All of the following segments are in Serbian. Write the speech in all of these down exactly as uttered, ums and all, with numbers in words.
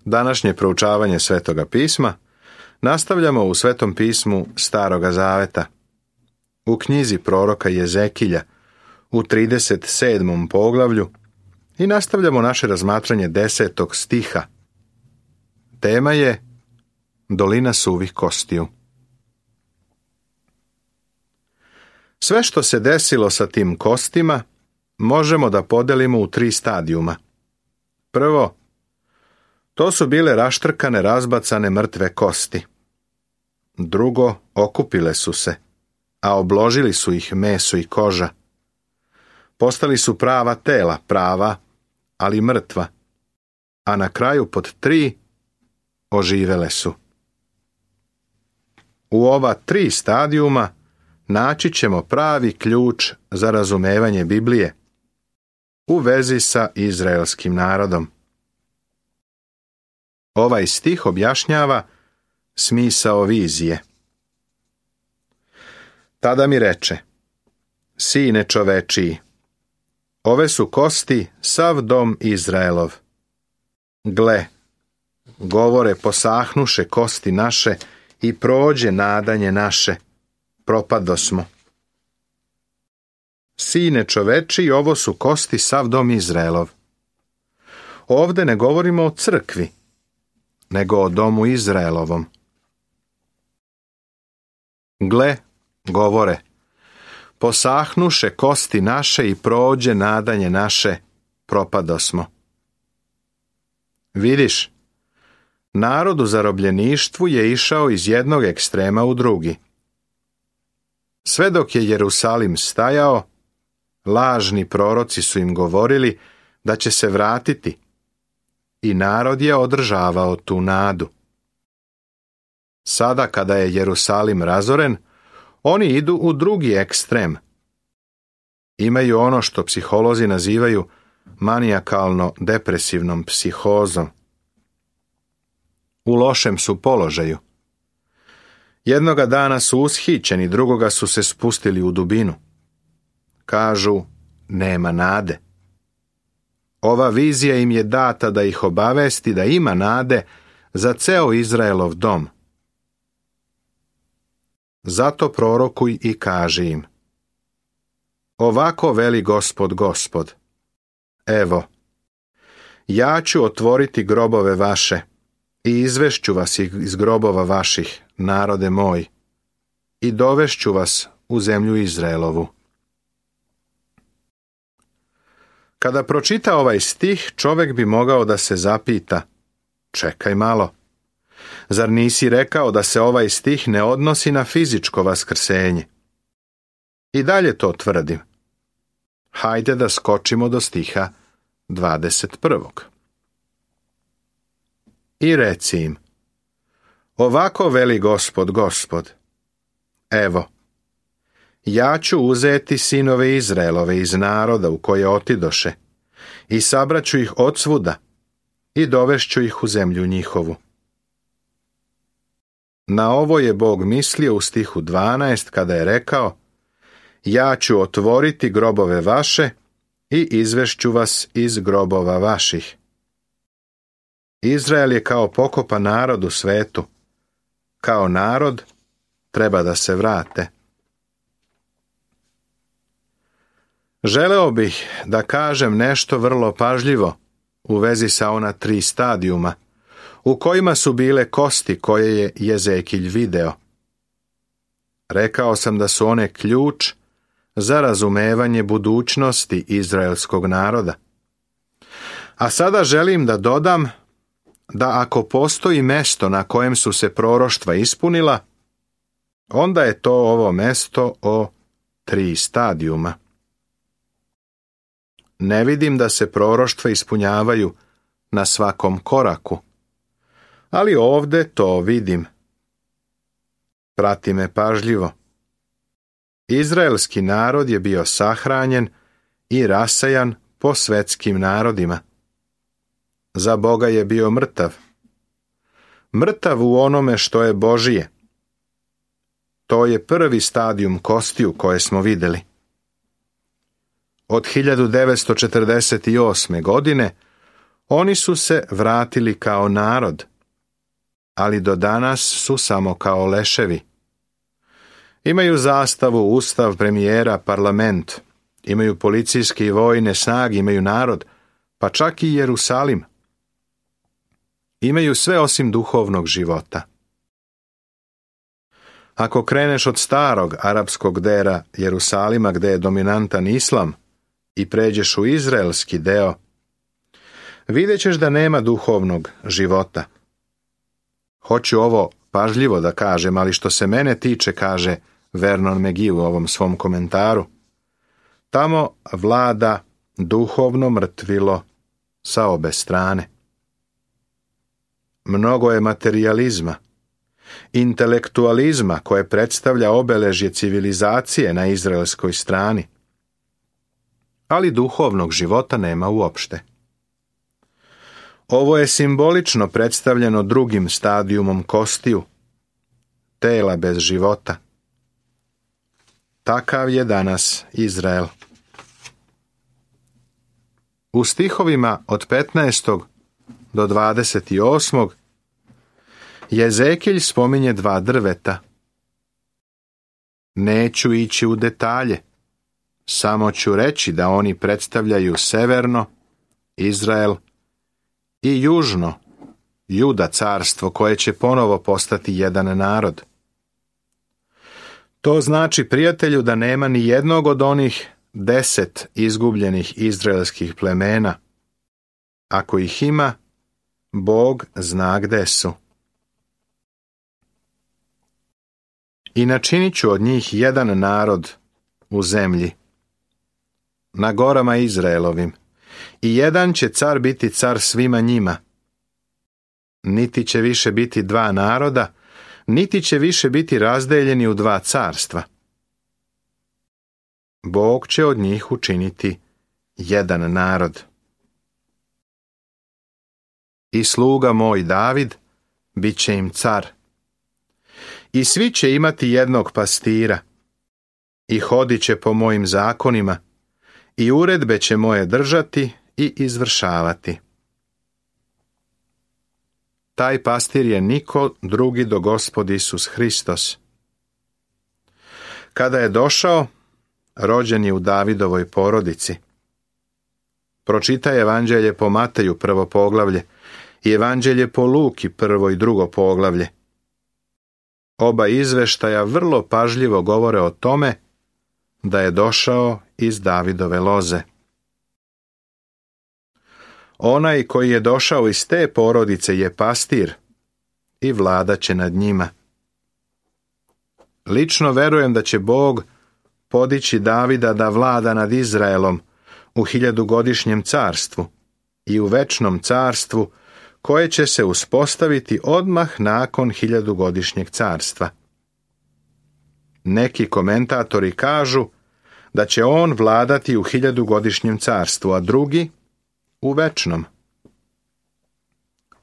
Današnje proučavanje Svetoga pisma nastavljamo u Svetom pismu Staroga zaveta. U knjizi proroka Jezekilja u trideset sedmom poglavlju i nastavljamo naše razmatranje desetog stiha. Tema je Dolina suvih kostiju. Sve što se desilo sa tim kostima možemo da podelimo u tri stadijuma. Prvo, to su bile raštrkane, razbacane mrtve kosti. Drugo, okupile su se, a obložili su ih meso i koža. Postali su prava tela, prava, ali mrtva. A na kraju pod tri, oživele su. U ova tri stadijuma naći ćemo pravi ključ za razumevanje Biblije u vezi sa izraelskim narodom. Ovaj stih objašnjava smisao vizije. Tada mi reče: Sine čovečiji, ove su kosti sav dom Izraelov. Gle, govore, posahnuše kosti naše i prođe nadanje naše, propadosmo. Sine čovečiji, ovo su kosti sav dom Izraelov. Ovde ne govorimo o crkvi, nego o domu Izraelovom. Gle, govore, posahnuše kosti naše i prođe nadanje naše, propadosmo. Vidiš, narod u zarobljeništvu je išao iz jednog ekstrema u drugi. Sve dok je Jerusalim stajao, lažni proroci su im govorili da će se vratiti i narod je održavao tu nadu. Sada kada je Jerusalim razoren, oni idu u drugi ekstrem. Imaju ono što psiholozi nazivaju manijakalno-depresivnom psihozom. U lošem su položaju. Jednoga dana su ushićeni, drugoga su se spustili u dubinu. Kažu, nema nade. Ova vizija im je data da ih obavesti da ima nade za ceo Izraelov dom. Zato prorokuj i kaži im: Ovako veli Gospod, Gospod. Evo, ja ću otvoriti grobove vaše i izvešću vas iz grobova vaših, narode moj, i dovešću vas u zemlju Izraelovu. Kada pročita ovaj stih, čovjek bi mogao da se zapita: čekaj malo, zar nisi rekao da se ovaj stih ne odnosi na fizičko vaskrsenje? I dalje to tvrdim. Hajde da skočimo do stiha dvadeset prvog. I reci im: Ovako veli Gospod, Gospod. Evo, ja ću uzeti sinove Izraelove iz naroda u koje otidoše i sabraću ih odsvuda i dovešću ih u zemlju njihovu. Na ovo je Bog mislio u stihu dvanaest kada je rekao: Ja ću otvoriti grobove vaše i izvešću vas iz grobova vaših. Izrael je kao pokopan narod u svetu. Kao narod treba da se vrate. Želeo bih da kažem nešto vrlo pažljivo u vezi sa ona tri stadijuma u kojima su bile kosti koje je Jezekilj video. Rekao sam da su one ključ za razumevanje budućnosti izraelskog naroda. A sada želim da dodam da ako postoji mesto na kojem su se proroštva ispunila, onda je to ovo mesto o tri stadijuma. Ne vidim da se proroštva ispunjavaju na svakom koraku, ali ovde to vidim. Prati me pažljivo. Izraelski narod je bio sahranjen i rasejan po svetskim narodima. Za Boga je bio mrtav. Mrtav u onome što je Božije. To je prvi stadijum kostiju koje smo vidjeli. Od hiljadu devetsto četrdeset osme. godine Oni su se vratili kao narod, ali do danas su samo kao leševi. Imaju zastavu, ustav, premijera, parlament, imaju policijske i vojne snage, imaju narod, pa čak i Jerusalim. Imaju sve osim duhovnog života. Ako kreneš od starog arapskog dela Jerusalima gdje je dominantan islam i pređeš u izraelski deo, vidjet ćeš da nema duhovnog života. Hoću ovo pažljivo da kažem, ali što se mene tiče, kaže Vernon McGee u ovom svom komentaru, tamo vlada duhovno mrtvilo sa obe strane. Mnogo je materijalizma, intelektualizma koje predstavlja obeležje civilizacije na izraelskoj strani, ali duhovnog života nema uopšte. Ovo je simbolično predstavljeno drugim stadijumom kostiju, tela bez života. Takav je danas Izrael. U stihovima od petnaestog do dvadeset osmog Jezekilj spominje dva drveta. Neću ići u detalje, samo ću reći da oni predstavljaju severno, Izrael, i južno, Juda carstvo koje će ponovo postati jedan narod. To znači, prijatelju, da nema ni jednog od onih deset izgubljenih izraelskih plemena. Ako ih ima, Bog zna gde su. I načinit ću od njih jedan narod u zemlji, na gorama Izraelovim, i jedan će car biti car svima njima. Niti će više biti dva naroda, niti će više biti razdeljeni u dva carstva. Bog će od njih učiniti jedan narod. I sluga moj David bit će im car. I svi će imati jednog pastira, i hodit će po mojim zakonima, i uredbe će moje držati i izvršavati. Taj pastir je niko drugi do Gospod Isus Hristos. Kada je došao, rođen je u Davidovoj porodici. Pročitaj Evanđelje po Mateju prvo poglavlje i Evanđelje po Luki prvo i drugo poglavlje. Oba izveštaja vrlo pažljivo govore o tome da je došao iz Davidove loze. Onaj koji je došao iz te porodice je pastir i vladat će nad njima. Lično verujem da će Bog podići Davida da vlada nad Izraelom u hiljadugodišnjem carstvu i u večnom carstvu koje će se uspostaviti odmah nakon hiljadugodišnjeg carstva. Neki komentatori kažu da će on vladati u hiljadugodišnjem carstvu, a drugi u večnom.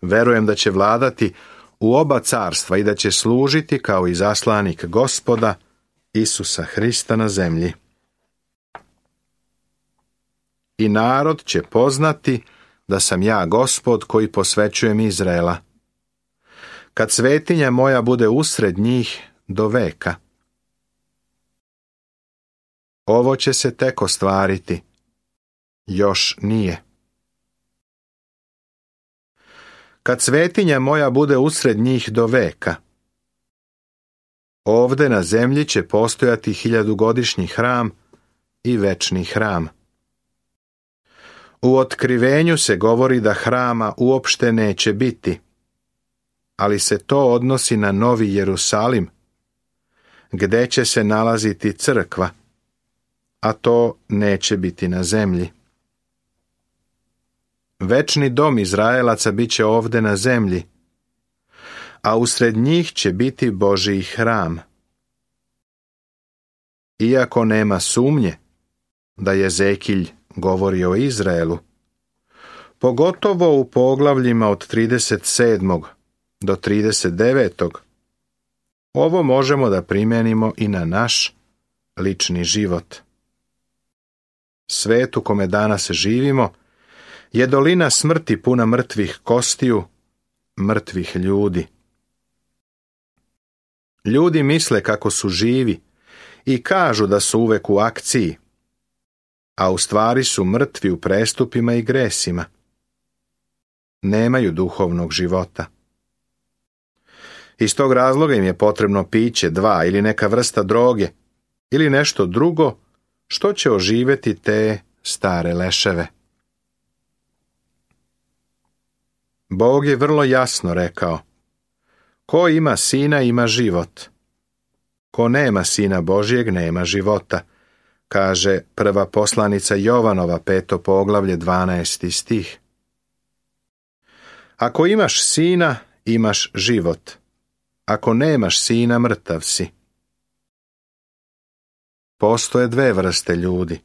Verujem da će vladati u oba carstva i da će služiti kao izaslanik Gospoda Isusa Hrista na zemlji. I narod će poznati da sam ja Gospod koji posvećujem Izraela, kad svetinja moja bude usred njih do veka. Ovo će se tek ostvariti, još nije. Kad svetinja moja bude usred njih do veka, ovde na zemlji će postojati hiljadugodišnji hram i večni hram. U Otkrivenju se govori da hrama uopšte neće biti, ali se to odnosi na Novi Jerusalim, gde će se nalaziti crkva, a to neće biti na zemlji. Večni dom Izraelaca bit će ovde na zemlji, a usred njih će biti Božji hram. Iako nema sumnje da Jezekilj govori o Izraelu, pogotovo u poglavljima od trideset sedmog do trideset devetog, ovo možemo da primenimo i na naš lični život. Svet u kome danas živimo je dolina smrti puna mrtvih kostiju, mrtvih ljudi. Ljudi misle kako su živi i kažu da su uvek u akciji, a u stvari su mrtvi u prestupima i gresima. Nemaju duhovnog života. Iz tog razloga im je potrebno piće, dva ili neka vrsta droge ili nešto drugo što će oživjeti te stare leševe. Bog je vrlo jasno rekao: ko ima sina ima život. Ko nema sina Božjeg nema života, kaže prva poslanica Jovanova, peto poglavlje, dvanaesti stih. Ako imaš sina, imaš život. Ako nemaš sina, mrtav si. Postoje dve vrste ljudi,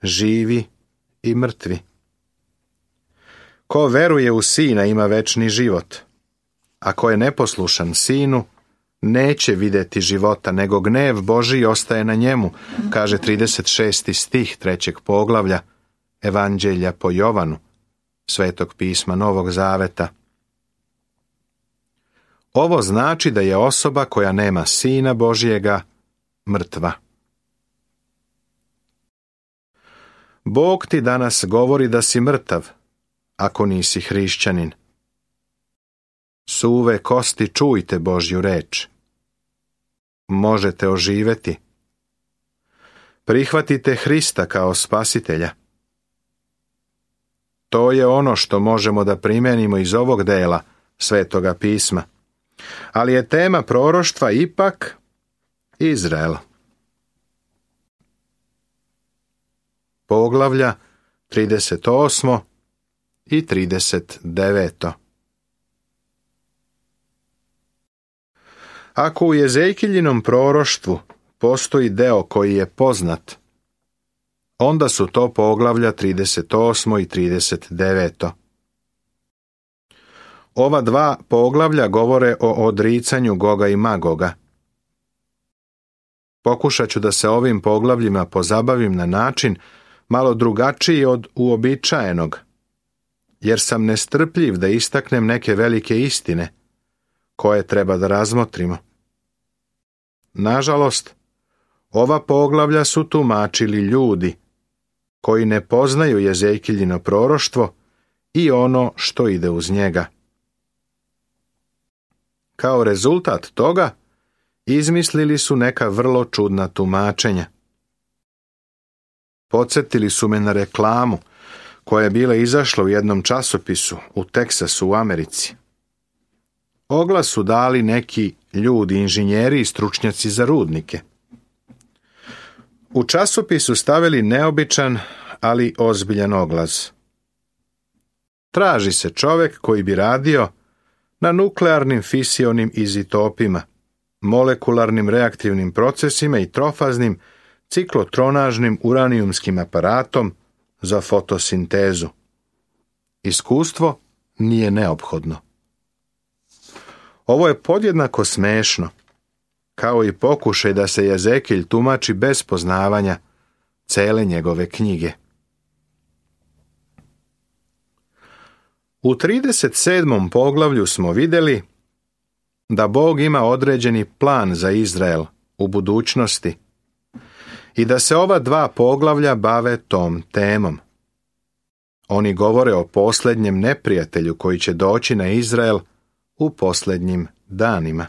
živi i mrtvi. Ko veruje u sina ima večni život. Ako je neposlušan sinu, neće vidjeti života, nego gnev Božji ostaje na njemu, kaže trideset šesti stih trećeg poglavlja Evanđelja po Jovanu, Svetog pisma Novog Zaveta. Ovo znači da je osoba koja nema sina Božjega mrtva. Bog ti danas govori da si mrtav, ako nisi hrišćanin. Suve kosti, čujte Božju reč. Možete oživjeti. Prihvatite Hrista kao spasitelja. To je ono što možemo da primenimo iz ovog dela Svetoga pisma. Ali je tema proroštva ipak Izrael. Poglavlja trideset osmo i trideset deveto. Ako u Jezekiljinom proroštvu postoji deo koji je poznat, onda su to poglavlja trideset osmo i trideset deveto. Ova dva poglavlja govore o odricanju Goga i Magoga. Pokušat ću da se ovim poglavljima pozabavim na način malo drugačiji od uobičajenog, jer sam nestrpljiv da istaknem neke velike istine koje treba da razmotrimo. Nažalost, ova poglavlja su tumačili ljudi koji ne poznaju Jezekiljino proroštvo i ono što ide uz njega. Kao rezultat toga, izmislili su neka vrlo čudna tumačenja. Podsjetili su me na reklamu koja je bila izašla u jednom časopisu u Teksasu u Americi. Oglas su dali neki ljudi, inženjeri i stručnjaci za rudnike. U časopisu stavili neobičan, ali ozbiljan oglas. Traži se čovjek koji bi radio na nuklearnim fisionim izotopima, molekularnim reaktivnim procesima i trofaznim ciklotronažnim uranijumskim aparatom za fotosintezu. Iskustvo nije neophodno. Ovo je podjednako smešno, kao i pokušaj da se Jezekilj tumači bez poznavanja cele njegove knjige. U trideset sedmom poglavlju smo vidjeli da Bog ima određeni plan za Izrael u budućnosti i da se ova dva poglavlja bave tom temom. Oni govore o posljednjem neprijatelju koji će doći na Izrael u posljednjim danima.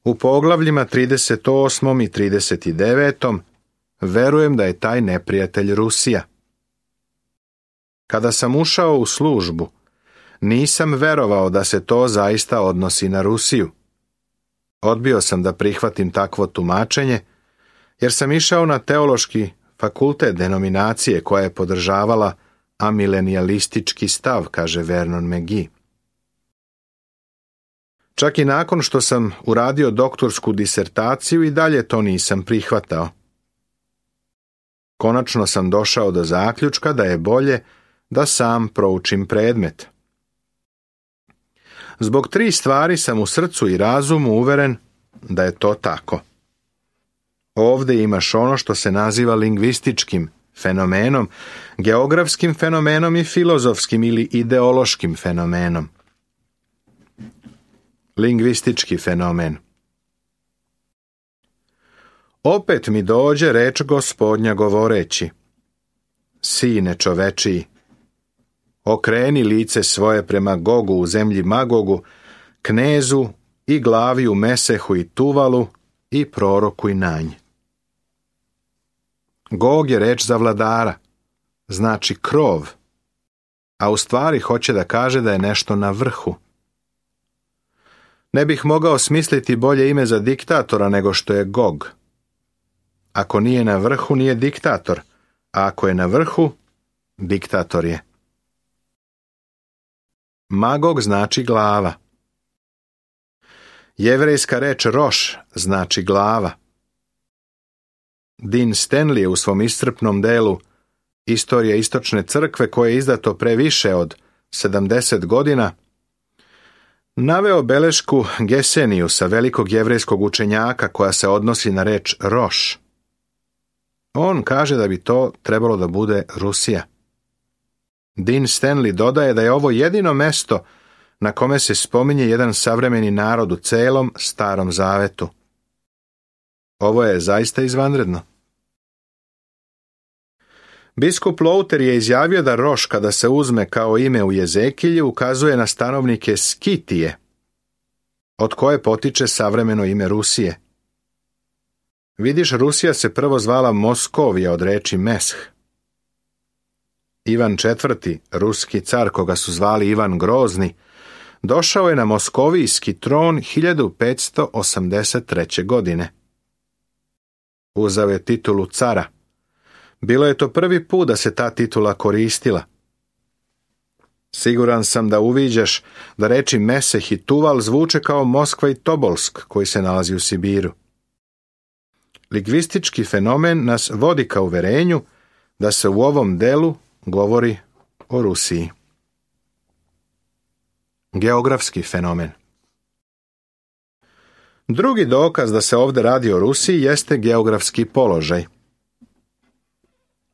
U poglavljima trideset osmom i trideset devetom verujem da je taj neprijatelj Rusija. Kada sam ušao u službu, nisam verovao da se to zaista odnosi na Rusiju. Odbio sam da prihvatim takvo tumačenje, jer sam išao na teološki fakultet denominacije koja je podržavala amilenijalistički stav, kaže Vernon McGee. Čak i nakon što sam uradio doktorsku disertaciju i dalje to nisam prihvatao. Konačno sam došao do zaključka da je bolje da sam proučim predmet. Zbog tri stvari sam u srcu i razumu uveren da je to tako. Ovdje imaš ono što se naziva lingvističkim fenomenom, geografskim fenomenom i filozofskim ili ideološkim fenomenom. Lingvistički fenomen. Opet mi dođe reč Gospodnja govoreći: Sine čovečiji, okreni lice svoje prema Gogu u zemlji Magogu, knezu i glavi u Mesehu i Tuvalu i prorokuj na nj. Gog je reč za vladara, znači krov, a u stvari hoće da kaže da je nešto na vrhu. Ne bih mogao smisliti bolje ime za diktatora nego što je Gog. Ako nije na vrhu, nije diktator, a ako je na vrhu, diktator je. Magog znači glava. Jevrejska reč roš znači glava. Dean Stanley je u svom iscrpnom delu Istorija istočne crkve, koje je izdato pre više od sedamdeset godina, naveo belešku Geseniusa, velikog jevrejskog učenjaka, koja se odnosi na reč roš. On kaže da bi to trebalo da bude Rusija. Dean Stanley dodaje da je ovo jedino mesto na kome se spominje jedan savremeni narod u celom Starom Zavetu. Ovo je zaista izvanredno. Biskup Louter je izjavio da roš, kada se uzme kao ime u Jezekilju, ukazuje na stanovnike Skitije, od koje potiče savremeno ime Rusije. Vidiš, Rusija se prvo zvala Moskovija od reči mesh. Ivan četvrti, ruski car, koga su zvali Ivan Grozni, došao je na moskovijski tron hiljadu petsto osamdeset treće. godine. Uzeo je titulu cara. Bilo je to prvi put da se ta titula koristila. Siguran sam da uviđaš da reči Meseh i Tuval zvuče kao Moskva i Tobolsk, koji se nalazi u Sibiru. Lingvistički fenomen nas vodi ka uverenju da se u ovom delu govori o Rusiji. Geografski fenomen. Drugi dokaz da se ovdje radi o Rusiji jeste geografski položaj.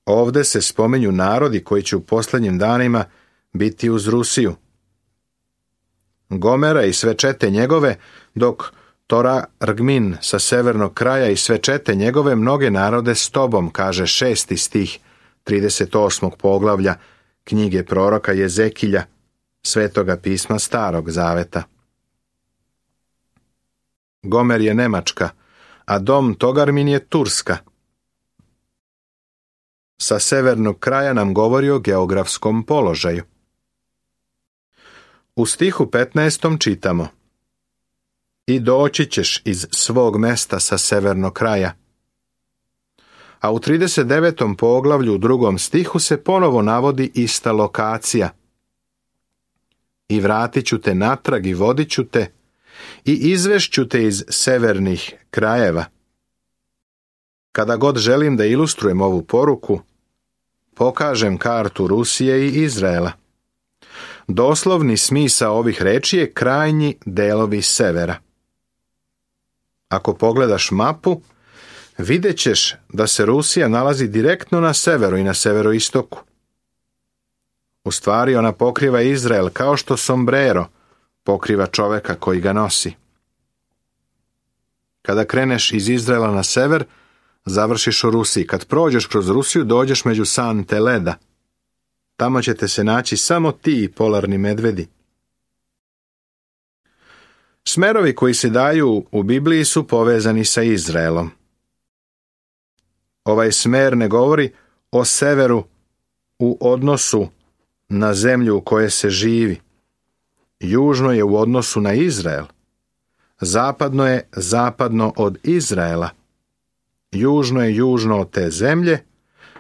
Ovdje se spominju narodi koji će u posljednjim danima biti uz Rusiju. Gomera i sve čete njegove, dok Tora Rgmin sa severnog kraja i sve čete njegove mnoge narode s tobom, kaže šesti stih trideset osmog poglavlja knjige proroka Jezekilja, Svetoga pisma Starog Zaveta. Gomer je Nemačka, a dom Togarmin je Turska. Sa severnog kraja nam govori o geografskom položaju. U stihu petnaestom čitamo: I doći ćeš iz svog mesta sa severnog kraja. A u trideset devetom poglavlju u drugom stihu se ponovo navodi ista lokacija. I vratit ću te natrag i vodit ću te i izvešću te iz severnih krajeva. Kada god želim da ilustrujem ovu poruku, pokažem kartu Rusije i Izraela. Doslovni smisao ovih reči je krajnji delovi severa. Ako pogledaš mapu, vidjet ćeš da se Rusija nalazi direktno na severu i na severoistoku. U stvari ona pokriva Izrael kao što sombrero pokriva čoveka koji ga nosi. Kada kreneš iz Izraela na sever, završiš u Rusiji. Kad prođeš kroz Rusiju, dođeš među sante leda. Tamo ćete se naći samo ti i polarni medvedi. Smerovi koji se daju u Bibliji su povezani sa Izraelom. Ovaj smer ne govori o severu u odnosu na zemlju u kojoj se živi. Južno je u odnosu na Izrael. Zapadno je zapadno od Izraela. Južno je južno od te zemlje,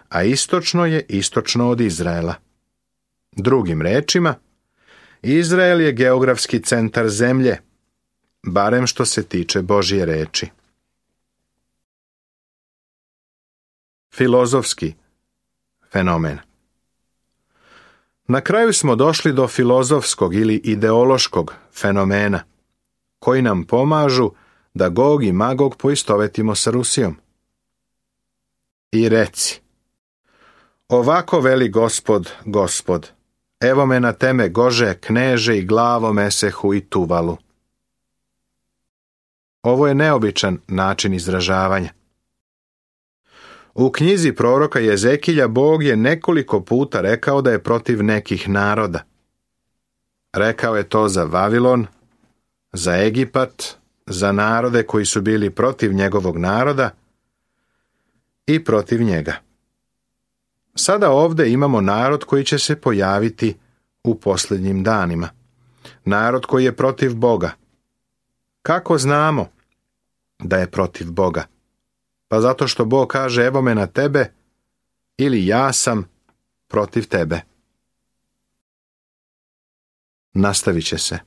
a istočno je istočno od Izraela. Drugim rečima, Izrael je geografski centar zemlje, barem što se tiče Božje reči. Filozofski fenomen. Na kraju smo došli do filozofskog ili ideološkog fenomena, koji nam pomažu da Gog i Magog poistovetimo sa Rusijom. I reci, Ovako veli Gospod, Gospod, evo me na teme gože, kneže i glavo mesehu i tuvalu. Ovo je neobičan način izražavanja. U knjizi proroka Jezekilja Bog je nekoliko puta rekao da je protiv nekih naroda. Rekao je to za Vavilon, za Egipat, za narode koji su bili protiv njegovog naroda i protiv njega. Sada ovdje imamo narod koji će se pojaviti u posljednjim danima. Narod koji je protiv Boga. Kako znamo da je protiv Boga? Pa zato što Bog kaže evo me na tebe ili ja sam protiv tebe. Nastavit će se.